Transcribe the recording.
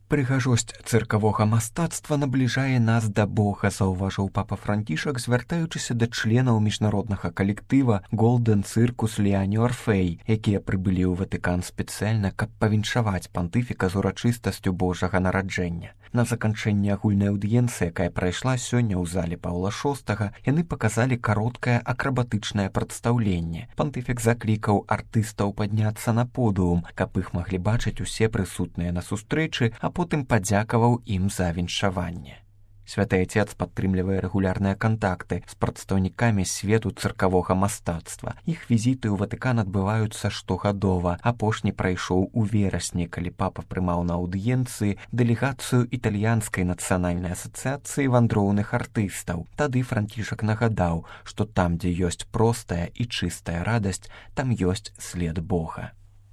Прыгажосць цыркавога мастацтва набліжае нас да Бога, заўважыў папа Францішак, звяртаючыся да членаў міжнароднага калектыва Golden Circus Liani Orfei, якія прыбылі ў Ватыкан спецыяльна, каб павіншаваць пантыфіка з урачыстасцю Божага нараджэння. На заканчэнні агульнай аўдыенцыі, якая прайшла сёння ў зале Паўла VI, яны паказалі кароткае акрабатычнае прадстаўленне. Пантыфік заклікаў артыстаў падняцца на подыум, каб іх маглі бачыць усе прысутныя на сустрэчы, а потым падзякаваў ім за віншаванне. Святы Отец падтрымлівае рэгулярныя кантакты з прадстаўнікамі свету цыркавога мастацтва. Іх візіты ў Ватыкан адбываюцца штогадова. Апошні прайшоў у верасні, калі папа прымаў на аўдыенцыі дэлегацыю італьянскай нацыянальнай асацыяцыі вандроўных артыстаў. Тады Францішак нагадаў, што там, дзе ёсць простая і чыстая радасць, там ёсць след Бога.